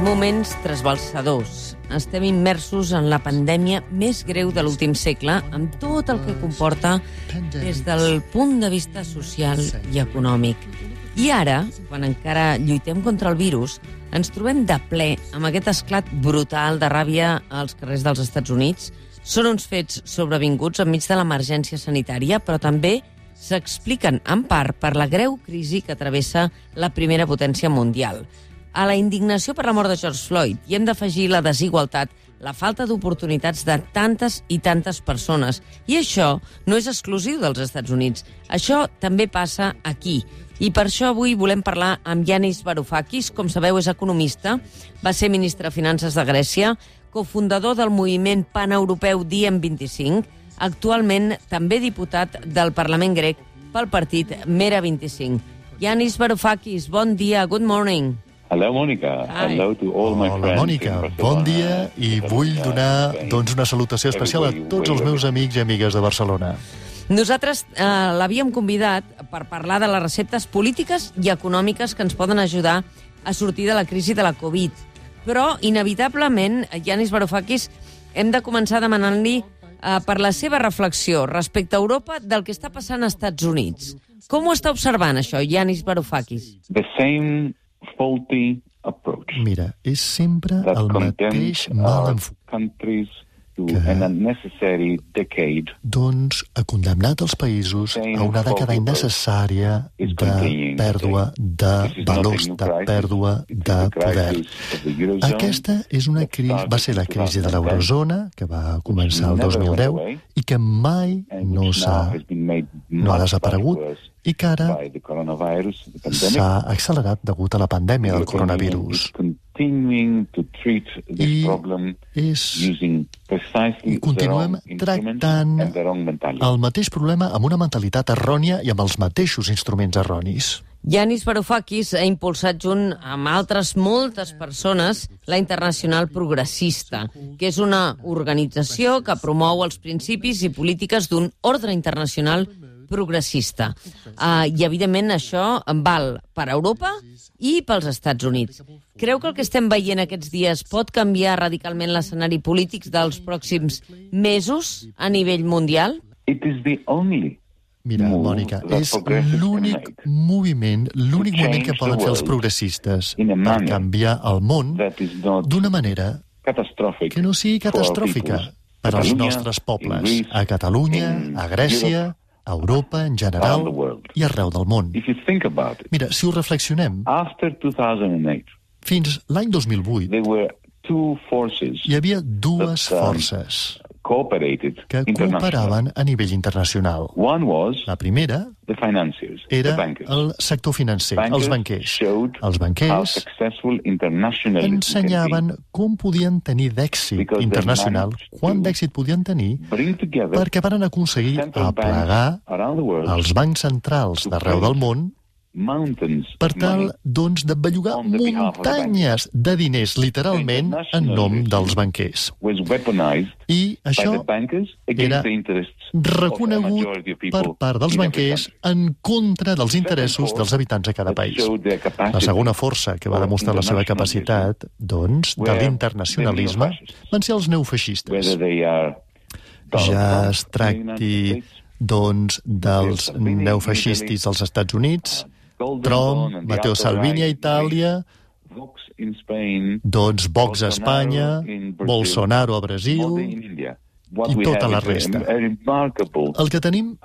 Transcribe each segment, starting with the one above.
moments trasbalsadors. Estem immersos en la pandèmia més greu de l'últim segle, amb tot el que comporta des del punt de vista social i econòmic. I ara, quan encara lluitem contra el virus, ens trobem de ple amb aquest esclat brutal de ràbia als carrers dels Estats Units. Són uns fets sobrevinguts enmig de l'emergència sanitària, però també s'expliquen en part per la greu crisi que travessa la primera potència mundial. A la indignació per la mort de George Floyd hi hem d'afegir la desigualtat, la falta d'oportunitats de tantes i tantes persones. I això no és exclusiu dels Estats Units. Això també passa aquí. I per això avui volem parlar amb Yanis Varoufakis. Com sabeu, és economista, va ser ministre de Finances de Grècia, cofundador del moviment paneuropeu Diem25, actualment també diputat del Parlament grec pel partit Mera25. Yanis Varoufakis, bon dia, good morning. Hello, Mònica. Hello to all my friends. Hola, Mònica. Bon dia i vull donar una salutació especial a tots els meus amics i amigues de Barcelona. Nosaltres l'havíem convidat per parlar de les receptes polítiques i econòmiques que ens poden ajudar a sortir de la crisi de la Covid. Però, inevitablement, Yanis Varoufakis, hem de començar demanant-li per la seva reflexió respecte a Europa del que està passant als Estats Units. Com ho està observant, això, Yanis Varoufakis? The same faulty approach. Mira, és sempre el mateix mal enfocat que ha condemnat els països a una dècada innecessària de pèrdua de valors, de pèrdua de poder. Aquesta és va ser la crisi de l'eurozona, que va començar el 2010 i que mai no ha desaparegut i que ara s'ha accelerat degut a la pandèmia del coronavirus. I continuem tractant el mateix problema amb una mentalitat errònia i amb els mateixos instruments erronis. Yanis Varoufakis ha impulsat junt amb altres moltes persones la Internacional Progressista, que és una organització que promou els principis i polítiques d'un ordre internacional progressista. I, evidentment, això val per a Europa i pels Estats Units. Creu que el que estem veient aquests dies pot canviar radicalment l'escenari polític dels pròxims mesos a nivell mundial? Mira, Mònica, és l'únic moviment que poden fer els progressistes per canviar el món d'una manera que no sigui catastròfica per als nostres pobles, a Catalunya, a Grècia, a Europa en general i arreu del món. Mira, si ho reflexionem, fins l'any 2008 hi havia dues forces que cooperaven a nivell internacional. La primera era el sector financer, els banquers. Els banquers ensenyaven com podien tenir d'èxit internacional, quant d'èxit podien tenir, perquè van aconseguir aplegar els bancs centrals d'arreu del món per tal, doncs, de bellugar muntanyes de diners, literalment, en nom dels banquers. I això era reconegut per part dels banquers en contra dels interessos dels habitants de cada país. La segona força que va demostrar la seva capacitat, doncs, de l'internacionalisme van ser els neofeixistes. Ja es tracti, doncs, dels neofeixistes als Estats Units, Trump, Matteo Salvini a Itàlia, doncs Vox a Espanya, Bolsonaro a Brasil i tota la resta. El que tenim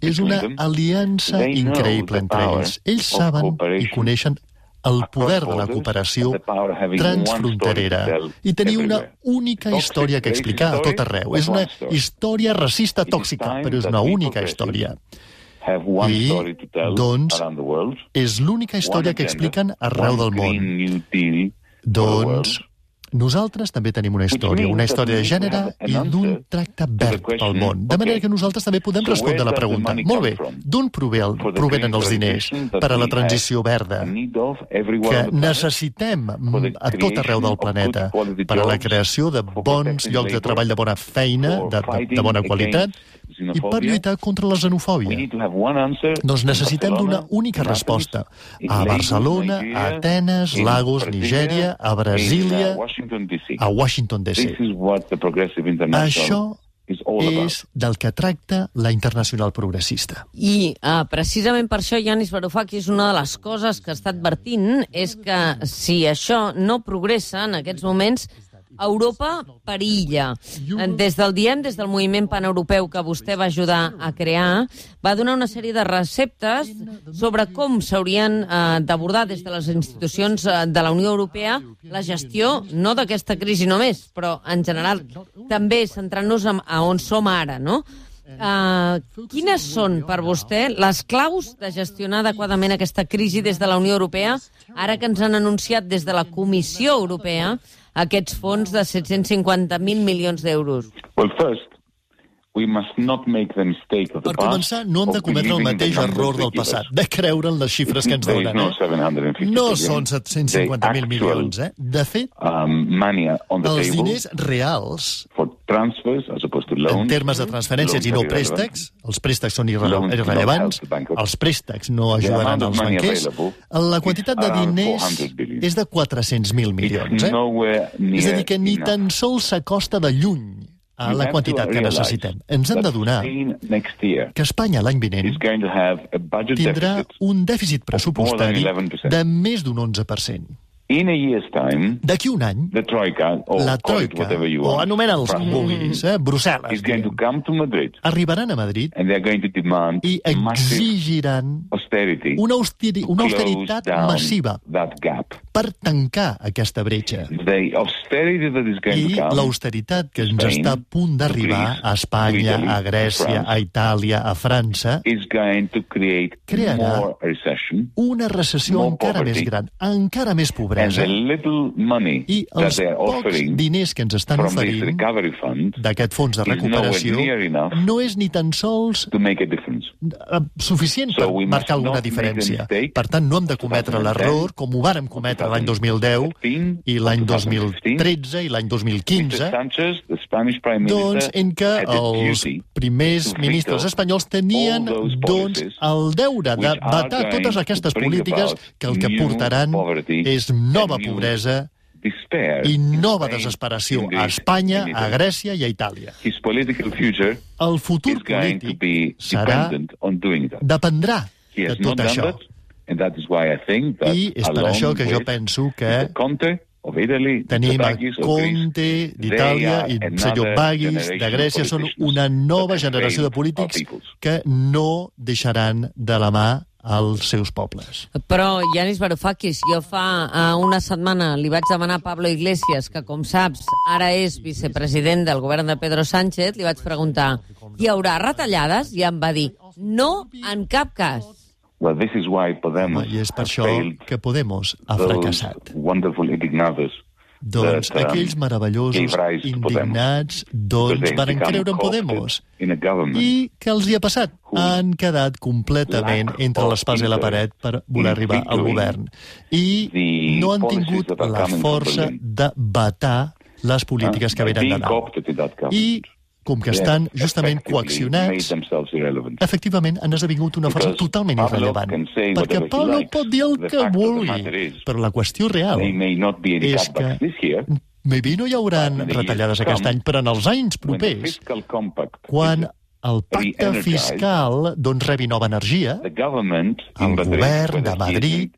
és una aliança increïble entre ells. Ells saben i coneixen el poder de la cooperació transfronterera i tenir una única història que explicar a tot arreu. És una història racista tòxica, però és una única història. I, doncs, és l'única història que expliquen arreu del món. Doncs, nosaltres també tenim una història de gènere i d'un tracte verd pel món. De manera que nosaltres també podem respondre la pregunta. Molt bé, d'on provenen els diners per a la transició verda que necessitem a tot arreu del planeta per a la creació de bons llocs de treball, de bona feina, de bona qualitat, i per lluitar contra la xenofòbia. Doncs necessitem d'una única resposta. A Barcelona, a Atenes, Lagos, Nigèria, a Brasília, a Washington DC. Això és del que tracta la Internacional Progressista. I precisament per això, Yanis Varoufakis, una de les coses que està advertint és que si això no progressa en aquests moments, Europa perilla. Des del moviment paneuropeu que vostè va ajudar a crear, va donar una sèrie de receptes sobre com s'haurien d'abordar des de les institucions de la Unió Europea la gestió, no d'aquesta crisi només, però en general també centrant-nos a on som ara, no? Quines són per vostè les claus de gestionar adequadament aquesta crisi des de la Unió Europea, ara que ens han anunciat des de la Comissió Europea aquests fons de 750.000 milions d'euros? Per començar, no hem de cometre el mateix error del passat, de creure en les xifres que ens donen. No són 750.000 milions, De fet, els diners reals, en termes de transferències i no préstecs, els préstecs són irrellevants, els préstecs no ajudaran als banquers, la quantitat de diners és de 400.000 milions. És a dir, que ni tan sols s'acosta de lluny a la quantitat que necessitem. Ens hem d'adonar que Espanya l'any vinent tindrà un dèficit pressupostari de més d'un 11%. D'aquí un any, la Troika, o anomena-els com vulguis, Brussel·les, arribaran a Madrid i exigiran una austeritat massiva per tancar aquesta bretxa. I l'austeritat que ens està a punt d'arribar a Espanya, a Grècia, a Itàlia, a França, crearà una recessió encara més gran, encara més pobresa. I els pocs diners que ens estan oferint d'aquest fons de recuperació no és ni tan sols suficient per marcar alguna diferència. Per tant, no hem de cometre l'error, com ho vàrem cometre l'any 2010 i l'any 2013 i l'any 2015, doncs en què els primers ministres espanyols tenien el deure de vetar totes aquestes polítiques que el que portaran és nova pobresa i nova desesperació a Espanya, a Grècia i a Itàlia. El futur polític dependrà de tot això. I és per això que jo penso que tenim a Conte d'Itàlia i el senyor Baghis de Grècia, són una nova generació de polítics que no deixaran de la mà als seus pobles. Però, Yanis Varoufakis, jo fa una setmana li vaig demanar a Pablo Iglesias, que com saps ara és vicepresident del govern de Pedro Sánchez, li vaig preguntar, hi haurà retallades? I em va dir, no en cap cas. I és per això que Podemos ha fracassat. Doncs aquells meravellosos indignats van creure en Podemos. I què els hi ha passat? Han quedat completament entre l'espasa i la paret per voler arribar al govern. I no han tingut la força de vetar les polítiques que venen de dalt. I com que estan justament coaccionats, efectivament han esdevingut una força totalment irrellevant. Perquè Pablo pot dir el que vulgui, però la qüestió real és que maybe no hi haurà retallades aquest any, però en els anys propers, quan el pacte fiscal rebi nova energia, el govern de Madrid,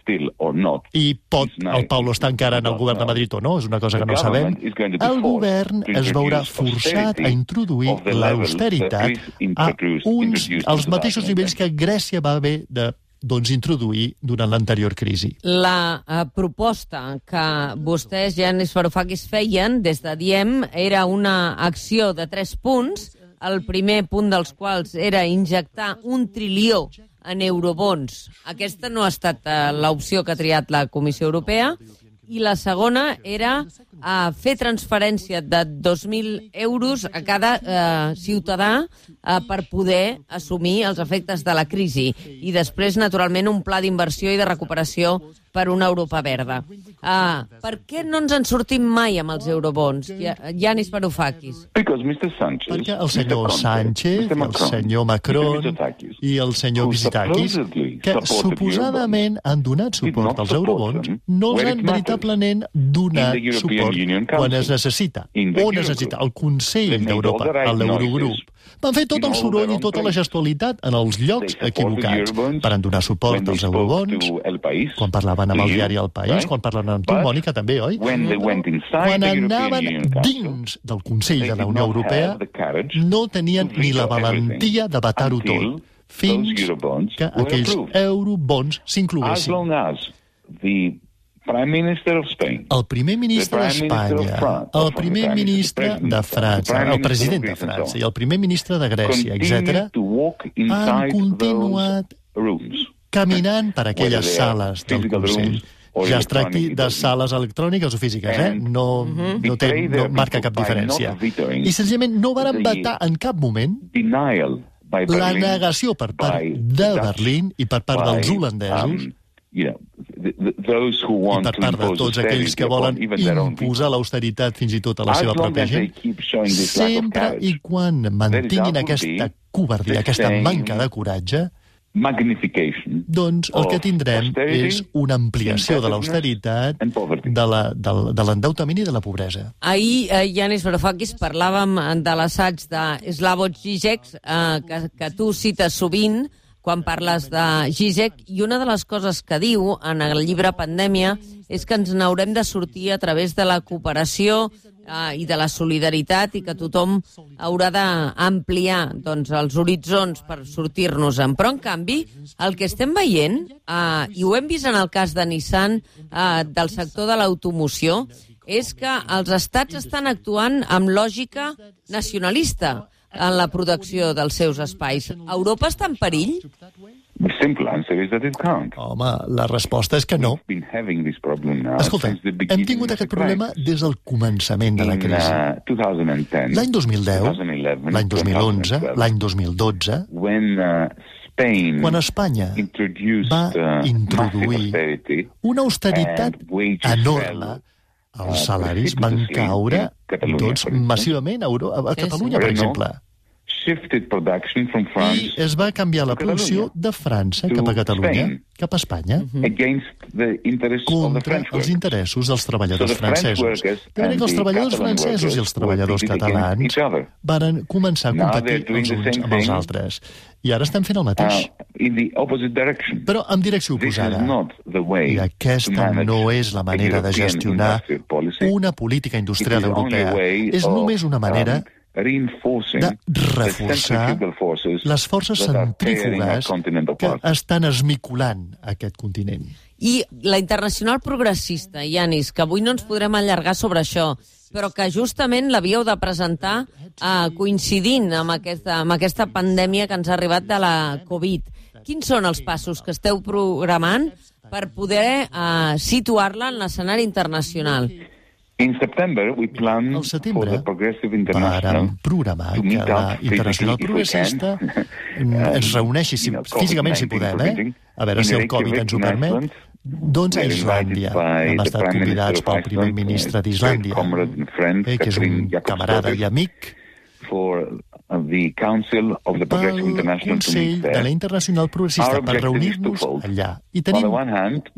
i el Pablo està encara en el govern de Madrid o no, és una cosa que no sabem, el govern es veurà forçat a introduir l'austeritat als mateixos nivells que Grècia va haver de introduir durant l'anterior crisi. La proposta que vostès, Yanis Varoufakis, feien des de Diem era una acció de 3 punts, el primer punt dels quals era injectar 1 trilió en eurobons. Aquesta no ha estat l'opció que ha triat la Comissió Europea. I la segona era fer transferència de 2.000 euros a cada ciutadà per poder assumir els efectes de la crisi. I després, naturalment, un pla d'inversió i de recuperació per una Europa verda. Per què no ens en sortim mai amb els eurobons? Yanis Varoufakis. Perquè el senyor Sánchez, el senyor Macron i el senyor Mitsotakis, que suposadament han donat suport als eurobons, no els han veritablement donat suport quan es necessita. On es necessita? El Consell d'Europa, l'Eurogrup. Van fer tot el soroll i tota la gestualitat en els llocs equivocats. Van donar suport als eurobons, quan parlaven amb el diari El País, quan parlaven amb tu, Mònica, també, oi? Quan anaven dins del Consell de la Unió Europea, no tenien ni la valentia de vetar-ho tot, fins que aquells eurobons s'incloguessin. El primer ministre d'Espanya, el primer ministre de França, el president de França i el primer ministre de Grècia, etc., han continuat caminant per aquelles sales del Consell. Ja es tracti de sales electròniques o físiques, no marca cap diferència. I senzillament no van vetar en cap moment la negació per part de Berlín i per part dels holandesos i per part de tots aquells que volen imposar l'austeritat fins i tot a la seva pròpia gent, sempre i quan mantinguin aquesta covardia, aquesta manca de coratge, doncs el que tindrem és una ampliació de l'austeritat, de l'endeutament i de la pobresa. Ahir, Yanis Varoufakis, parlàvem de l'assaig de Slavoj Žižek, que tu cites sovint quan parles de Žižek, i una de les coses que diu en el llibre Pandèmia és que ens n'haurem de sortir a través de la cooperació i de la solidaritat i que tothom haurà d'ampliar els horitzons per sortir-nos-en. Però, en canvi, el que estem veient, i ho hem vist en el cas de Nissan, del sector de l'automoció, és que els estats estan actuant amb lògica nacionalista en la protecció dels seus espais. Europa està en perill? Home, la resposta és que no. Escolta, hem tingut aquest problema des del començament de la crisi. L'any 2010, l'any 2011, l'any 2012, quan Espanya va introduir una austeritat enorme, els salaris van caure massivament a Catalunya, per exemple. I es va canviar la producció de França cap a Catalunya, cap a Espanya, contra els interessos dels treballadors francesos. De manera que els treballadors francesos i els treballadors catalans van començar a competir els uns amb els altres. I ara estem fent el mateix. Però en direcció oposada. I aquesta no és la manera de gestionar una política industrial europea. És només una manera de reforçar les forces centrífugues que estan esmicolant aquest continent. I la Internacional Progressista, Yanis, que avui no ens podrem allargar sobre això, però que justament l'havíeu de presentar coincidint amb aquesta pandèmia que ens ha arribat de la Covid. Quins són els passos que esteu programant per poder situar-la en l'escenari internacional? Al setembre vàrem programar que la Internacional Progressista es reuneixi físicament, si podem, a veure si el Covid ens ho permet, doncs a Islàndia. Hem estat convidats pel primer ministre d'Islàndia, que és un camarada i amic, pel Consell de la Internacional Progressista, per reunir-nos allà. I tenim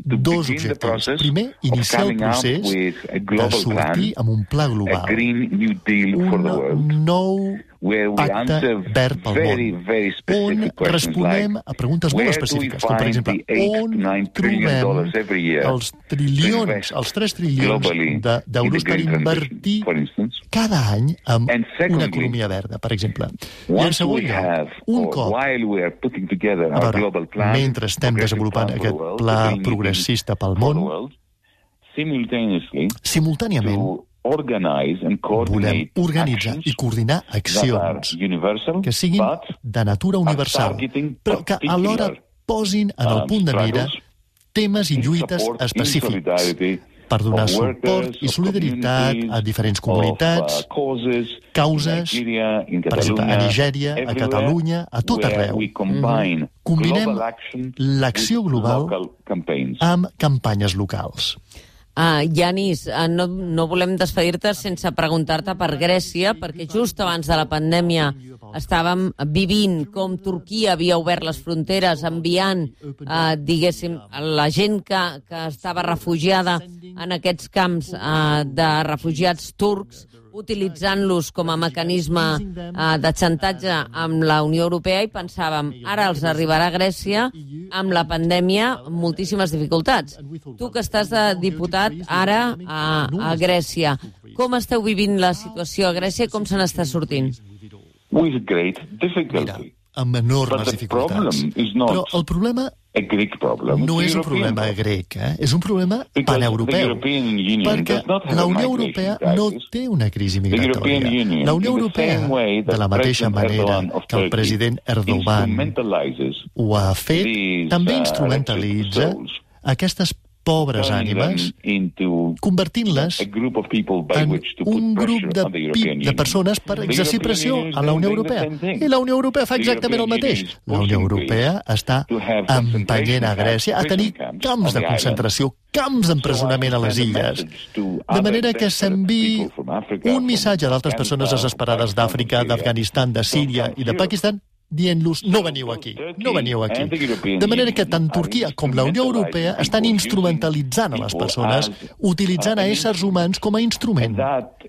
dos objectius. Primer, iniciar el procés de sortir amb un pla global, un nou pacte verd pel món, on responem a preguntes molt específiques, com per exemple, on trobem els 3 trilions d'euros per invertir cada any en una economia verda, per exemple. I en segon lloc, un cop, mentre estem desenvolupant aquest pla progressista pel món, simultàniament volem organitzar i coordinar accions que siguin de natura universal, però que alhora posin en el punt de mira temes i lluites específics per donar suport i solidaritat a diferents comunitats, causes, per exemple, a Nigèria, a Catalunya, a tot arreu. Combinem l'acció global amb campanyes locals. Yanis, no volem despedir-te sense preguntar-te per Grècia, perquè just abans de la pandèmia estàvem vivint com Turquia havia obert les fronteres, enviant, diguéssim, la gent que estava refugiada en aquests camps de refugiats turcs, utilitzant-los com a mecanisme de xantatge amb la Unió Europea, i pensàvem, ara els arribarà a Grècia amb la pandèmia moltíssimes dificultats. Tu que estàs de diputat ara a Grècia, com esteu vivint la situació a Grècia i com se n'està sortint? Mira, amb enormes dificultats. Però el problema no és un problema grec, és un problema paneuropeu, perquè la Unió Europea no té una crisi migratòria. La Unió Europea, de la mateixa manera que el president Erdogan ho ha fet, també instrumentalitza aquestes pobres ànimes, convertint-les en un grup de persones per exercir pressió a la Unió Europea. I la Unió Europea fa exactament el mateix. La Unió Europea està empenyent a Grècia a tenir camps de concentració, camps d'empresonament a les illes, de manera que s'enviï un missatge a d'altres persones desesperades d'Àfrica, d'Afganistan, de Síria i de Pakistan, dient-los, no veniu aquí, no veniu aquí. De manera que tant Turquia com la Unió Europea estan instrumentalitzant a les persones, utilitzant a éssers humans com a instrument.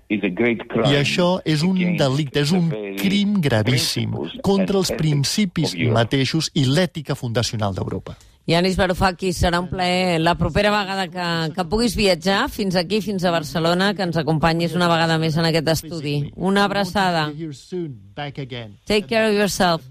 I això és un delicte, és un crim gravíssim contra els principis mateixos i l'ètica fundacional d'Europa. Yanis Varoufakis, serà un plaer la propera vegada que puguis viatjar fins aquí, fins a Barcelona, que ens acompanyis una vegada més en aquest estudi. Una abraçada. Take care of yourself.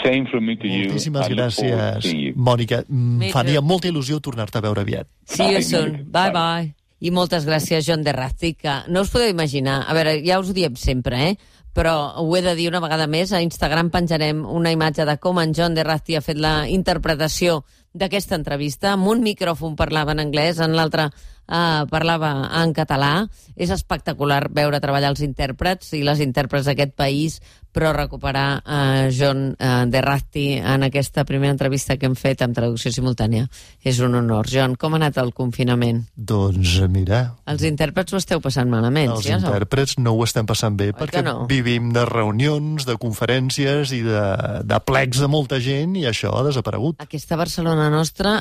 Moltíssimes gràcies, Mònica. Faria molta il·lusió tornar-te a veure aviat. See you soon. Bye bye. I moltes gràcies, Jon Derrazti, que no us podeu imaginar. A veure, ja us ho diem sempre, però ho he de dir una vegada més, a Instagram penjarem una imatge de com en Jon Derrazti ha fet la interpretació d'aquesta entrevista. Amb un micròfon parlava en anglès, en l'altre parlava en català. És espectacular veure treballar els intèrprets i les intèrprets d'aquest país, però recuperar Jon Derrazti en aquesta primera entrevista que hem fet amb traducció simultània és un honor. Jon, com ha anat el confinament? Doncs mira... Els intèrprets ho esteu passant malament, Els intèrprets no ho estem passant bé, perquè vivim de reunions, de conferències i de plecs de molta gent, i això ha desaparegut. Aquesta Barcelona nostra,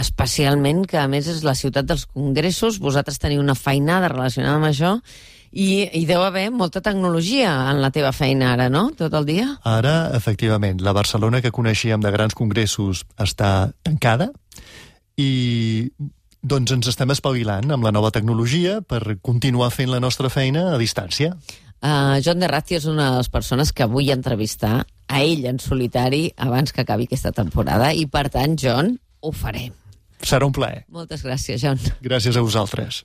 especialment, que a més és la ciutat dels congressos, vosaltres teniu una feinada relacionada amb això, i hi deu haver molta tecnologia en la teva feina ara, no?, tot el dia? Ara, efectivament, la Barcelona que coneixíem de grans congressos està tancada i doncs ens estem espavilant amb la nova tecnologia per continuar fent la nostra feina a distància. Jon Derrazti és una de les persones que vull entrevistar a ell en solitari abans que acabi aquesta temporada i, per tant, Jon, ho farem. Serà un plaer. Moltes gràcies, Jon. Gràcies a vosaltres.